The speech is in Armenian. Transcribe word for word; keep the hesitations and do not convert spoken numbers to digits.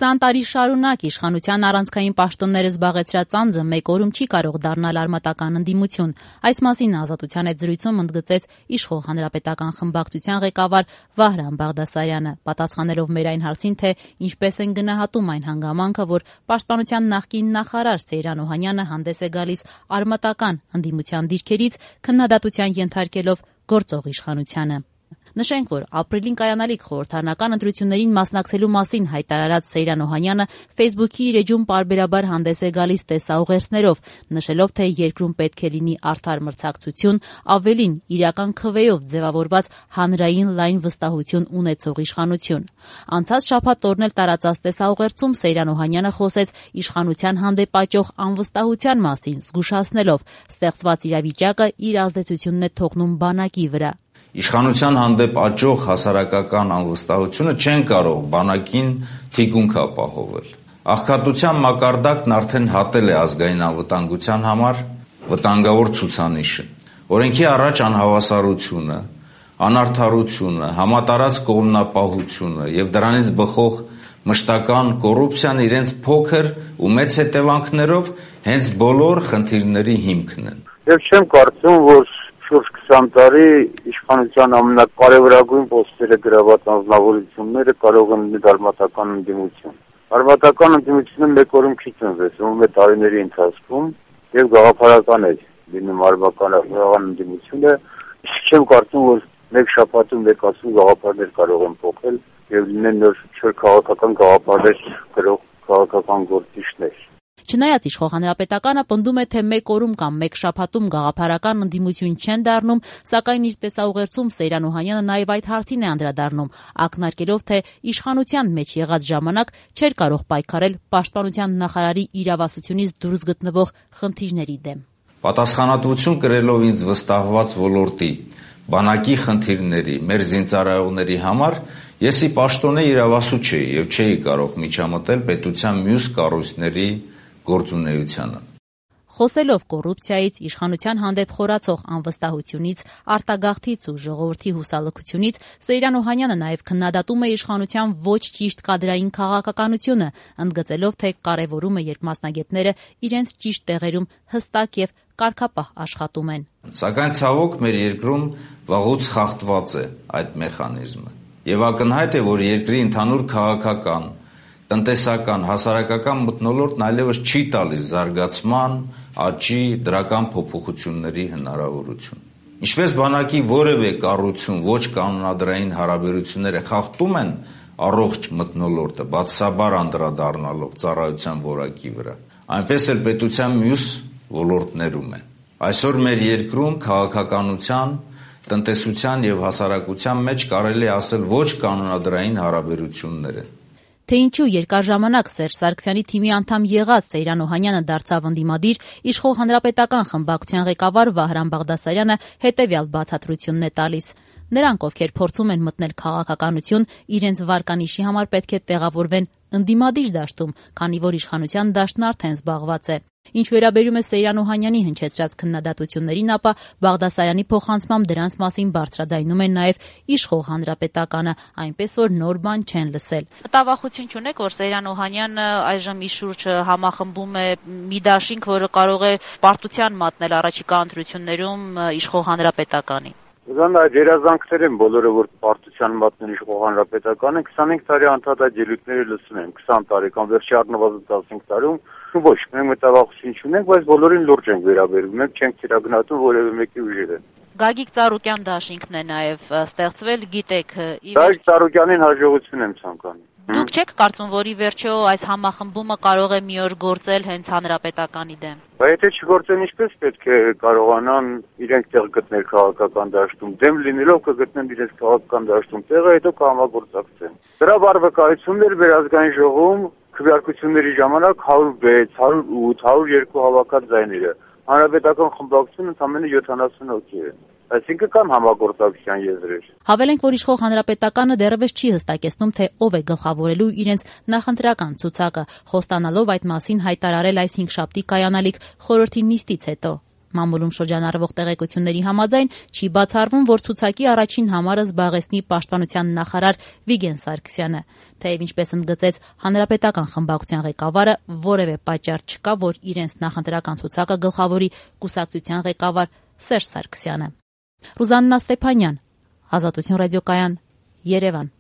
Քսան տարի շարունակ իշխանության առանցքային պաշտոնները զբաղեցրած անձը մեկ օրում չի կարող դառնալ արմատական ընդդիմություն։ Այս մասին Ազատության հետ զրույցում ընդգծեց իշխող Հանրապետական խմբակցության ղեկավար Վահրամ Բաղդասարյանը, պատասխանելով մեր այն հարցին, թե ինչպես են գնահատում այն հանգամանքը, որ Պաշտպանության նախկին նախարար Սեյրան Օհանյանը հանդես է գալիս արմատական ընդդիմության դիրքերից, քննադատության ենթարկելով գործող իշխանությանը։ Նշենք, որ ապրիլին կայանալիք խորհրդարանական ընտրություններին մասնակցելու մասին հայտարարած Սեյրան Օհանյանը Facebook-ի իր էջում պարբերաբար հանդես է գալիս տեսաուղերձներով, նշելով, թե երկրում պետք է լինի արդար մրցակցություն, ավելին իրական քվեով ձևավորված հանրային լայն վստահություն ունեցող իշխանություն։ Անցած շաբաթ օրն էլ տարածած տեսաուղերձում Սեյրան Օհանյանը խոսեց իշխանության հանդեպ աճող անվստահության մասին, զգուշացնելով, ստեղծված իրավիճակը իր ազդեցությունն է թողնում բանակի վրա։ Իշխանության հանդեպ աճող հասարակական անվստահությունը չեն կարող բանակին թիկունք ապահովել։ Աղքատության մակարդակն արդեն հատել է ազգային անվտանգության համար վտանգավոր ցուցանիշը։ Օրենքի առաջ անհավասարությունը, անարդարությունը, համատարած կողմնապահությունը եւ դրանից բխող մշտական կոռուպցիան իրենց փոքր ու մեծ հետևանքներով հենց բոլոր խնդիրների հիմքն են։ Եվ չեմ կարծում, որ շուրջ քսան տարի իշխանության ամենակարևորագույն պոստերը գրաված անձնավորությունները կարող են լինել արմատական ընդդիմություն։ Արմատական ընդդիմությունը մեկ օրում չի ծնվեցվում, մեկ տարիների ընթացքում եւ գաղափարական է լինում արմատական ընդդիմությունը։ Իսկ չեմ կարծում, որ մեկ շաբաթում մեկ ասում գաղափարներ կարող են փոխել եւ լինեն նոր չոր քաղաքական գաղափարներ գրող քաղաքական գործիչներ։ Չնայած իշխող Հանրապետականը պնդում է, թե մեկ օրում կամ մեկ շաբաթում գաղափարական ընդդիմություն չեն դառնում, սակայն իր տեսաուղերձում Սեյրան Օհանյանը նաև այդ հարցին է անդրադառնում, ակնարկելով, թե իշխանության մեջ եղած ժամանակ չէր կարող պայքարել պաշտպանության նախարարի իրավասությունից դուրս գտնվող խնդիրների դեմ։ Պատասխանատվություն կրելով ինձ վստահված ոլորտի, բանակի խնդիրների, մեր զինծառայողների համար ես ի պաշտոնե իրավասու չէի եւ չէի կարող միջամտել պետության մյուս կառույցների գործունեությանը։ Խոսելով կոռուպցիայից, իշխանության հանդեպ խորացող անվստահությունից, արտագաղթից ու ժողովրդի հուսալքությունից, Սեյրան Օհանյանը նաև քննադատում է իշխանության ոչ ճիշտ կադրային քաղաքականությունը, ընդգծելով, թե կարևորում է, երբ մասնագետները իրենց ճիշտ տեղերում հստակ եւ կարգապահ աշխատում են։ Սակայն ցավոք մեր երկրում վաղուց խախտված է այդ մեխանիզմը։ Եվ ակնհայտ է, որ երկրի ընդհանուր քաղաքական, տնտեսական, հասարակական մթնոլորտն այլևս չի տալիս զարգացման, աճի, դրական փոփոխությունների հնարավորություն։ Ինչպես բանակի որևէ կառույցում ոչ կանոնադրային հարաբերությունները խախտում են առողջ մթնոլորտը, բացասաբար անդրադառնալով ծառայության որակի վրա, այնպես էլ պետության մյուս ոլորտներում է։ Այսօր մեր երկրում քաղաքականության, տնտեսության եւ հասարակության մեջ կարելի է ասել ոչ կանոնադրային հարաբերություններ են։ Թե ինչու երկար ժամանակ Սերժ Սարգսյանի թիմի անդամ եղած Սեյրան Օհանյանը դարձավ ընդդիմադիր, իշխող Հանրապետական խմբակցության ղեկավար Վահրամ Բաղդասարյանը հետևյալ բացատրությունն է տալիս։ Նրանք, ովքեր փորձում են մտնել քաղաքականություն, իրենց վարկանիշի համար պետք է տեղավորվեն ընդդիմադիր դաշտում, քանի որ իշխանության դաշտն արդեն զբաղված է։ Ինչ վերաբերում է Սեյրան Օհանյանի հնչեցրած քննադատություններին, ապա Բաղդասարյանի փոխանցմամբ դրանց մասին բարձրաձայնում են նաև իշխող Հանրապետականը, այնպես որ նոր բան չեն լսել։ Մտավախություն չունեք, որ Սեյրան Օհանյանը այժմ իր շուրջը համախմբում է մի դաշինք, որը կարող է պարտության մատնել առաջիկա ընտրություններում իշխող Հանրապետականի։ Ուրեմն այդ երազանքներ են բոլորը, որ պարտության մատնել իշխող Հանրապետականը, քսանհինգ տարի անդադար ելույթները լսում են, քսան տարի կամ վերջի առնվազն տասնհինգ տարում ոչ, մենք մտավախություն չունենք, բայց բոլորին լուրջ ենք վերաբերվում, մենք չենք թիրագնահատում որևէ մեկի ուժերը։ Գագիկ Ծառուկյան դաշինքն է նաև ստեղծվել, գիտեք։ Գագիկ Ծառուկյանին հաջողություն եմ ցանկանում։ Դուք չեք կարծում, որ ի վերջո այս համախմբումը կարող է մի օր գործել հենց Հանրապետականի դեմ։ Բայց եթե չգործեն, ինչպես պետք է կարողանան իրենք տեղ գտնել քաղաքական դաշտում, դեմ լինելով կգտնեն իրենց քաղաքական դաշտում տեղը, հետո կհամագործակցեն։ Դրա վարվեկայություններ վերազգային ժողովում քվեարկությունների ժամանակ հարյուր վեց, հարյուր ութ, հարյուր երկու հավաքած ձայները։ Հանրապետական խմբակցությունը ընդամենը յոթանասուն հոգի է։ Այսինքն կան համագործակցության եզրեր։ Հավելենք, որ իշխող Հանրապետականը դեռևս չի հստակեցնում, թե ով է գլխավորելու իրենց նախընտրական ցուցակը, խոստանալով այդ մասին հայտարարել այս հինգշաբթի կայանալիք խորհրդի նիստից հետո։ Մամուլում շրջանառվող տեղեկությունների համաձայն չի բացառվում, որ ցուցակի առաջին համարը զբաղեցնի պաշտպանության նախարար Վիգեն Սարգսյանը, թեև ինչպես ընդգծեց հանրապետական խմբակցության ղեկավարը, որևէ պատճառ չկա, որ իրենց նախընտրական ցուցակը գլխավորի կուսակցության ղեկավար Սերժ Սարգսյանը։ Ռուզաննա Ստեփանյան, Ազատություն ռադիոկայան, Երևան։